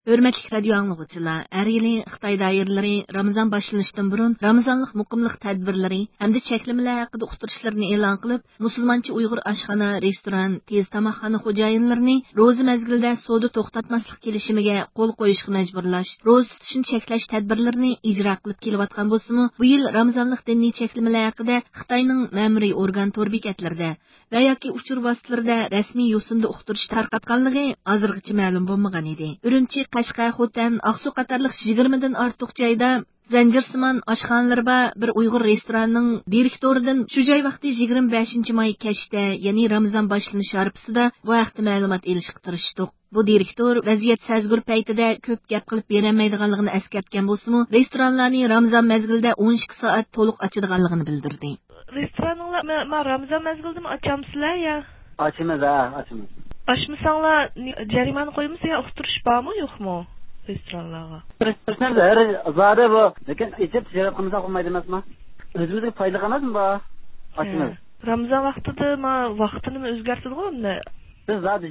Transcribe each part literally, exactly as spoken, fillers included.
ھۆرمەتلىك رادىيو ئاڭلىغۇچىلار، ھەر يىلى خىتاي دائىرىلىرى رامىزان باشلىنىشتىن بۇرۇن رامىزانلىق مۇقىملىق تەدبىرلىرى ھەمدە چەكلىمىلەر ھەققىدە ئۇقتۇرۇشلىرىنى ئېلان قىلىپ، مۇسۇلمانچە ئۇيغۇر ئاشخانا، رېستوران، تېز تاماقخانا خوجايىنلىرىنى روزا مەزگىلىدە سودا توختاتماسلىق كېلىشىمىگە قول قويۇشقا مەجبۇرلاش، روزا تۇتۇشنى چەكلەش تەدبىرلىرىنى ئىجرا قىلىپ كېلىۋاتقان بولسىمۇ، بۇ يىل رامىزانلىق دىنىي چەكلىمىلەر ھەققىدە خىتاينىڭ مەمۇرىي ئورگان تور بېكەتلىرىدە ۋە ياكى ئۇچۇر ۋاسىتىلىرىدە رەسمىي يوسۇندا ئۇقتۇرۇش تارقاتقانلىقى ھازىرغىچە مەلۇم بولمىغان ئىدى. ئۈرۈمچى، قەشقەر، خوتەن، ئاقسۇ قاتارلىق يىگىرمىدىن ئارتۇق جايدا زەنجىرسىمان ئاشخانىلىرى بار بىر ئۇيغۇر رېستورانىنىڭ دىرېكتورىدىن شۇ جاي ۋاقتى يىگىرمە بەشىنچى ماي كەچتە، يەنى رامىزان باشلىنىش ھارپىسىدا بۇ ھەقتە مەلۇمات ئېلىشقا تىرىشتۇق. بۇ دىرېكتور ۋەزىيەت سەزگۈر پەيتىدە كۆپ گەپ قىلىپ بېرەلمەيدىغانلىقىنى ئەسكەرتكەن بولسىمۇ، رېستورانلارنى رامىزان مەزگىلىدە ئون ئىككى سائەت تولۇق ئاچىدىغانلىقىنى بىلدۈردى. رېستورانىڭلار ما، ما رامىزان مەزگىلىدىمۇ ئاچامسىلەر يا؟ ئاچىمىز، ھە، ئاچىمىز. ئاچمىساڭلار نى-، جەرىمانە قويمىسا يا ئۇقتۇرۇش بارمۇ، يوقمۇ رېستورانلارغا؟ ئاچمىز، ھەر زادى بۇ. لېكىن ئېچىپ تىجارەت قىلمىساق بولمايدۇ ئەمەسمۇ؟ ئۆزىمىزگە پايدا ئەمەسمۇ بۇ؟ ئاچىمىز. ھە. رامىزان ۋاقتىدا ما ۋاقتىنىمۇ ئۆزگەرتىدىغۇ ئەمدى؟ بىز زادى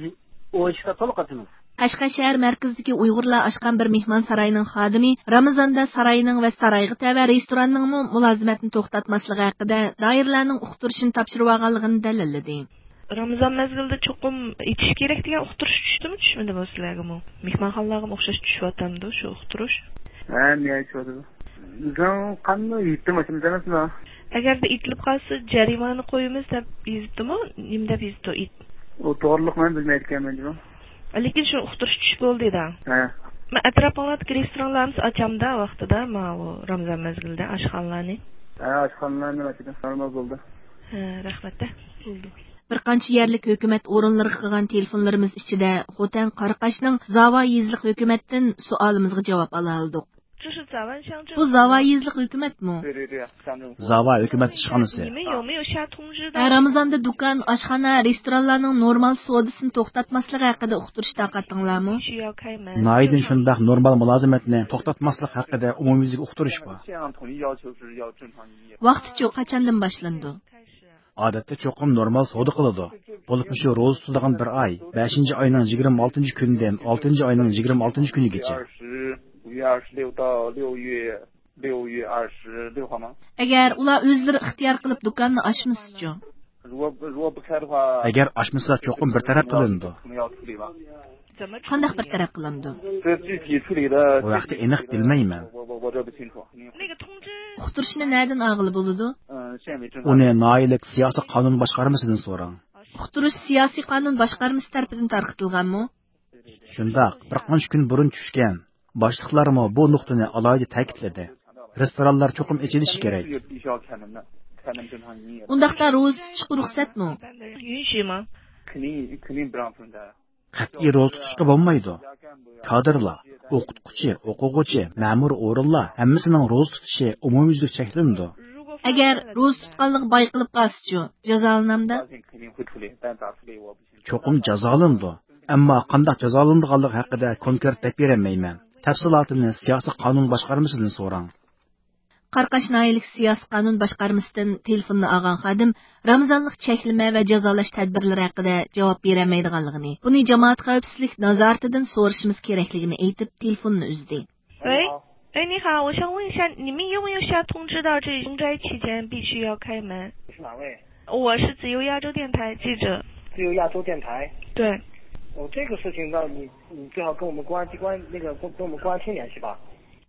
ئون ئىككى سائەت تولۇق ئاچىمىز. قەشقەر شەھەر مەركىزىدىكى ئۇيغۇرلار ئاچقان بىر مېھمانساراينىڭ خادىمى رامىزاندا ساراينىڭ ۋە سارايغا تەۋە رېستوراننىڭمۇ مۇلازىمەتنى توختاتماسلىقى ھەققىدە دائىرىلەرنىڭ ئۇقتۇرۇشىنى تاپشۇرۇۋالغانلىقىنى دەلىللىدى. رامىزان مەزگىلىدە چوقۇم ئېچىش كېرەك دېگەن ئۇقتۇرۇش چۈشتىمۇ، چۈشمىدىمۇ سىلەرگىمۇ؟ مېھمانخانىلارغىمۇ ئوخشاش چۈشۈۋاتامدۇ شۇ ئۇقتۇرۇش؟ ھە، نېمە چۈشۈۋاتىدۇ؟ بىزنىڭ قانۇن يېتتىم ئاشۇ ئەمەسمۇ؟ ئەگەردە ئېيتىلىپ قالسا جەرىمانە قويىمىز دەپ يېزىپتىمۇ؟ نېمە دەپ يېزىپتۇ؟ ئېيت. ئۇ توغرىلىق مەن بىلمەيدىكەنمەن جۇمۇ. لېكىن شۇ ئۇقتۇرۇش چۈشۈپ بولدى دە. ھە. مەن ئەتراپىڭلاردىكى رېستورانلارمۇ ئاچامدا ۋاقتىدا ماۋۇ رامىزان مەزگىلىدە ئاشخانىلارنى؟ ھە، ئاشخانىلارنى ئاچىدۇ. نورمال بولدى. ھە، رەھمەت دە. بولدى. بىر قانچە يەرلىك ھۆكۈمەت ئورۇنلىرىغا قىلغان تېلېفونلىرىمىز ئىچىدە خوتەن قاراقاشنىڭ زاۋا يېزىلىق ھۆكۈمەتتىن سوئالىمىزغا جاۋاب ئالالىدۇق. بۇ زاۋا يېزىلىق ھۆكۈمەتمۇ؟ زاۋا ھۆكۈمەت ئىشخانىسى. ھە، رامىزاندا دۇكان، ئاشخانا، رېستورانلارنىڭ نورمال سودىسىنى توختاتماسلىقى ھەققىدە ئۇقتۇرۇش تارقاتتىڭلارمۇ؟ ناھايىتى شۇنداق، نورمال مۇلازىمەتنى توختاتماسلىق ھەققىدە ئومۇميۈزلۈك ئۇقتۇرۇش بار. ۋاقتىچۇ، قاچاندىن باشلىنىدۇ؟ ئادەتتە چوقۇم نورمال سودا قىلىدۇ. بولۇپمۇ شۇ روزا تۇتىدىغان بىر ئاي، بەشىنچى ئاينىڭ يىگىرمە ئالتىنچى كۈنىدىن ئالتىنچى ئاينىڭ يىگىرمە ئالتىنچى كۈنىگىچە. 五月二十六到六月，六月二十六号吗？ ئەگەر ئۇلار ئۆزلىرى ئىختىيار قىلىپ دۇكاننى ئاچمىسىچۇ؟ 如果如果不开的话， ئەگەر ئاچمىسا چوقۇم بىر تەرەپ قىلىنىدۇ. 可能要处理吧。 قانداق بىر تەرەپ قىلىنىدۇ؟ 这具体处理的 بۇ ھەقتە ئېنىق بىلمەيمەن. 我我我这不清楚。 ئۇقتۇرۇشنى نەدىن ئالغىلى بولىدۇ؟ 嗯，县委政府。 ئۇنى ناھىيەلىك سىياسىي قانۇن باشقارمىسىدىن سوراڭ. ئۇقتۇرۇش سىياسىي قانۇن باشقارمىسى تەرىپىدىن تارقىتىلغانمۇ؟ شۇنداق، بىر قانچە كۈن بۇرۇن چۈشكەن. باشلىقلارمۇ بۇ نۇقتىنى ئالاھىدە تەكىتلىدى. رېستورانلار چوقۇم ئېچىلىشى كېرەك. 必须要开门的，开门正常营业。 ئۇنداقتا روزا تۇتۇشقا رۇخسەتمۇ؟ 允许吗？ 肯定肯定不让分开。 قەتئىي روزا تۇتۇشقا بولمايدۇ. كادىرلار، ئوقۇتقۇچى، ئوقۇغۇچى، مەمۇرىي ئورۇنلار ھەممىسىنىڭ روزا تۇتۇشى ئومۇميۈزلۈك چەكلىنىدۇ. ئەگەر روزا تۇتقانلىقى بايقىلىپ قالسىچۇ، جازالىنامدا؟ 肯定会处理，但咋处理我不清楚。 چوقۇم جازالىنىدۇ. ئەمما قانداق جازالىنىدىغانلىقى ھەققىدە كونكرېت دەپ بېرەلمەيمەن. تەپسىلاتىنى سىياسىي قانۇن باشقارمىسىدىن سوراڭ. قاراقاش ناھىيەلىك سىياسىي قانۇن باشقارمىسىدىن تېلېفوننى ئالغان خادىم رامىزانلىق چەكلىمە ۋە جازالاش تەدبىرلىرى ھەققىدە جاۋاب بېرەلمەيدىغانلىقىنى، بۇنى جامائەت خەۋپسىزلىك نازارىتىدىن سورىشىمىز كېرەكلىكىنى ئېيتىپ، تېلېفوننى ئۈزدى. 喂，哎，你好，我想问一下，你们有没有下通知到这封斋期间必须要开门？ 是哪位？我是自由亚洲电台记者。自由亚洲电台？对。哦，这个事情，那你你最好跟我们公安机关，那个跟跟我们公安厅联系吧。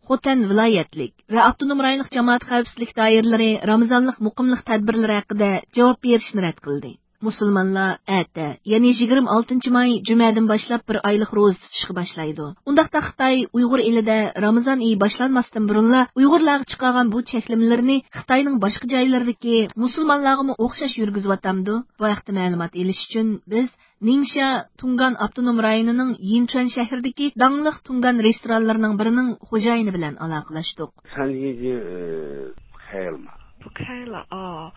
خوتەن ۋىلايەتلىك ۋە ئاپتونوم رايونلۇق جامائەت خەۋپسىزلىك دائىرىلىرى رامىزانلىق مۇقىملىق تەدبىرلىرى ھەققىدە جاۋاب بېرىشنى رەت قىلدى. مۇسۇلمانلار ئەتە، يەنى يىگىرمە ئالتىنچى ماي جۈمەدىن باشلاپ بىر ئايلىق روزا تۇتۇشقا باشلايدۇ. ئۇنداقتا خىتاي ئۇيغۇر ئېلىدە رامىزان ئېيى باشلانماستىن بۇرۇنلا ئۇيغۇرلارغا چىقارغان بۇ چەكلىمىلىرىنى خىتاينىڭ باشقا جايلىرىدىكى مۇسۇلمانلارغىمۇ ئوخشاش يۈرگۈزۈۋاتامدۇ؟ بۇ ھەقتە مەلۇمات ئېلىش ئۈچۈن بىز نىڭشيا تۇڭگان ئاپتونوم رايونىنىڭ يىنچۈەن شەھىرىدىكى داڭلىق تۇڭگان رېستورانلىرىنىڭ بىرىنىڭ خوجايىنى بىلەن ئالاقىلاشتۇق. 餐厅已经呃开了嘛。 不开了啊。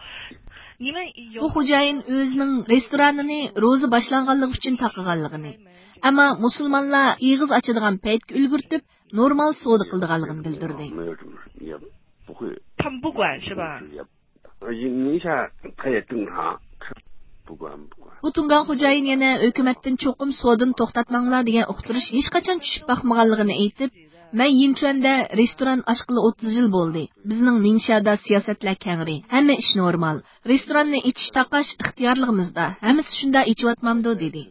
你们有 بۇ خوجايىن ئۆزىنىڭ رېستورانىنى روزا باشلانغانلىقى ئۈچۈن تاقىغانلىقىنى، ئەمما مۇسۇلمانلار ئېغىز ئاچىدىغان پەيتكە ئۈلگۈرتۈپ، نورمال سودا قىلىدىغانلىقىنى بىلدۈردى. 没有什么，也不会。 他们不管是吧？ 也，呃，宁夏他也正常。بۇ تۇڭگان خوجايىن يەنە ھۆكۈمەتتىن چوقۇم سودىنى توختاتماڭلار دېگەن ئۇقتۇرۇش ھېچقاچان چۈشۈپ باقمىغانلىقىنى ئېيتىپ، مەن يىنچۈەندە رېستوران ئاچقىلى ئوتتۇز يىل بولدى. بىزنىڭ نىڭشيادا سىياسەتلەر كەڭرى، ھەممە ئىش نورمال. رېستوراننى ئېچىش تاقاش ئىختىيارلىقىمىزدا، ھەممىسى شۇنداق ئېچىۋاتمامدۇ دېدى.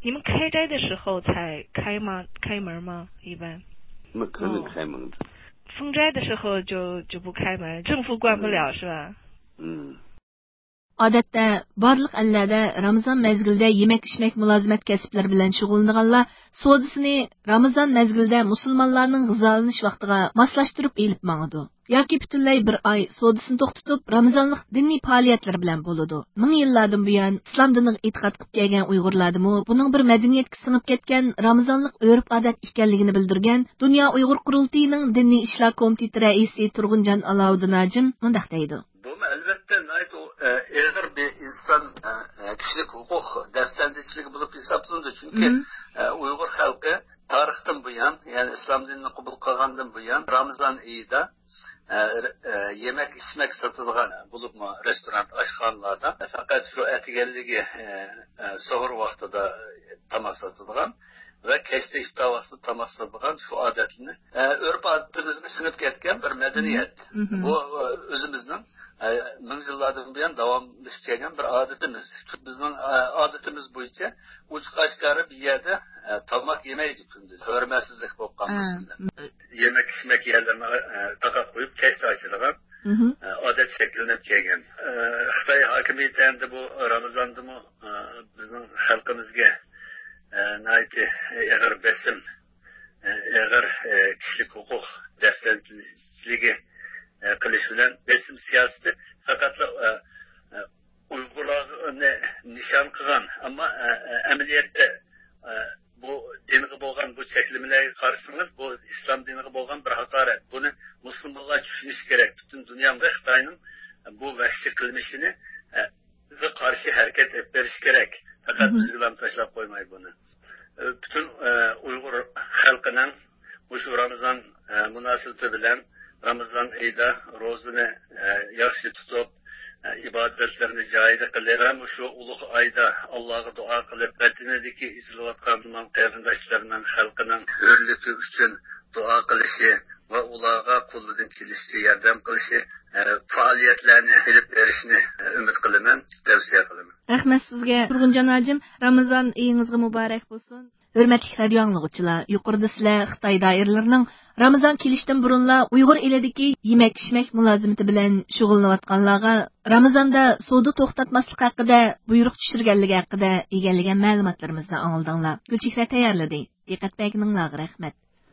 你们开斋的时候才开吗？开门吗？一般。那肯定开门的。封斋的时候就就不开门，政府管不了是吧？嗯。 ئادەتتە بارلىق ئەللەردە رامىزان مەزگىلىدە يېمەك-ئىچمەك مۇلازىمەت كەسىپلىرى بىلەن شۇغۇللىنىدىغانلار سودىسىنى رامىزان مەزگىلىدە مۇسۇلمانلارنىڭ غىزالىنىش ۋاقتىغا ماسلاشتۇرۇپ ئېلىپ ماڭىدۇ. ياكى پۈتۈنلەي بىر ئاي سودىسىنى توختىتىپ، رامىزانلىق دىنىي پائالىيەتلىرى بىلەن بولىدۇ. مىڭ يىللاردىن بۇيان ئىسلام دىنىغا ئېتىقاد قىلىپ كەلگەن ئۇيغۇرلاردىمۇ بۇنىڭ بىر مەدەنىيەتكە سىڭىپ كەتكەن رامىزانلىق ئۆرپ-ئادەت ئىكەنلىكىنى بىلدۈرگەن دۇنيا ئۇيغۇر قۇرۇلتىيىنىڭ دىنىي ئىشلار كومىتېتى رەئىسى تۇرغۇنجان ئالاۋۇدىن ھاجىم مۇنداق دەيدۇ. بۇمۇ ئەلۋەتتە ناھايىتى ئېغىر بىر ئىنسان كىشىلىك ھوقۇق دەپسەندىچىلىكى بولۇپ ھېسابلىنىدۇ. چۈنكى ئۇيغۇر خەلقى تارىختىن بۇيان، يەنى ئىسلام دىنىنى قوبۇل قىلغاندىن بۇيان رامىزان ئېيىدا يېمەك ئىچمەك ساتىدىغان، بولۇپمۇ رېستوران، ئاشخانىلاردا پەقەت شۇ ئەتىگەنلىكى سوھۇر ۋاقتىدا تاماق ساتىدىغان ۋە كەچتە ئىپتار ۋاقتىدا تاماق ساتىدىغان شۇ ئادەتنى ئۆرپ ئادىتىمىزگە سىڭىپ كەتكەن بىر مەدەنىيەت. بۇ ئۆزىمىزنىڭ مىڭ يىللاردىن بۇيان داۋاملىشىپ كەلگەن بىر ئادىتىمىز. بىزنىڭ ئادىتىمىز بويىچە ئوچۇق ئاشكارا بىر يەردە تاماق يېمەيدۇ كۈندۈز، ھۆرمەتسىزلىك بولۇپ قالمىسۇن دەپ. يېمەك ئىچمەك يەرلىرىنى تاقاپ قويۇپ كەچتە ئاچىدىغان ئادەت شەكىللىنىپ كەلگەن. خىتاي ھاكىمىيىتى ئەمدى بۇ رامىزاندىمۇ بىزنىڭ خەلقىمىزگە ناھايىتى ئېغىر بېسىم، ئېغىر كىشىلىك ھوقۇق دەپسەندىچىلىكى قىلىش بىلەن بېسىم سىياسىتى پەقەتلا ئۇيغۇرلارنى نىشان قىلغان، ئەمما ئەمەلىيەتتە بۇ دىنغا بولغان بۇ چەكلىمىلەرگە قارىسىڭىز، بۇ ئىسلام دىنىغا بولغان بىر ھاقارەت. بۇنى مۇسۇلمانلار چۈشىنىشى كېرەك. پۈتۈن دۇنيا خىتاينىڭ بۇ ۋەھشىي قىلمىشىنى، قارشى ھەرىكەت ئېلىپ بېرىشى كېرەك. پەقەت بىزگىلا تاشلاپ قويماي بۇنى. پۈتۈن ئۇيغۇر خەلقىنىڭ مۇشۇ رامىزان مۇناسىۋىتى بىلەن رامىزان ئېيىدا روزىنى ياخشى تۇتۇپ، ئىبادەتلىرىنى جايىدا قىلىپ ۋە مۇشۇ ئۇلۇغ ئايدا ئاللاغا دۇئا قىلىپ، ۋەتىنىدىكى ئېزىلىۋاتقان مۇسۇلمان قېرىنداشلىرىنىڭ، خەلقىنىڭ ھۆرلۈكى ئۈچۈن دۇئا قىلىشى ۋە ئۇلارغا قولىدىن كېلىشىچە ياردەم قىلىشى، پائالىيەتلەرنى ئېلىپ بېرىشىنى ئۈمىد قىلىمەن، تەۋسىيە قىلىمەن. رەھمەت سىزگە، تۇرغۇنجان ھاجىم. رامىزان ئېيىڭىزغا مۇبارەك بولسۇن. ھۆرمەتلىك رادىيو ئاڭلىغۇچىلار، يۇقىرىدا سىلەر خىتاي دائىرىلىرىنىڭ رامىزان كېلىشتىن بۇرۇنلا ئۇيغۇر ئېلىدىكى يېمەك-ئىچمەك مۇلازىمىتى بىلەن شۇغۇللىنىۋاتقانلارغا رامىزاندا سودا توختاتماسلىق ھەققىدە بۇيرۇق چۈشۈرگەنلىكى ھەققىدە ئىگىلىگەن مەلۇماتلىرىمىزنى ئاڭلىدىڭلار. گۈلچېھرە تەييارلىدى. دىققەت بەرگىنىڭلارغا رەھمەت.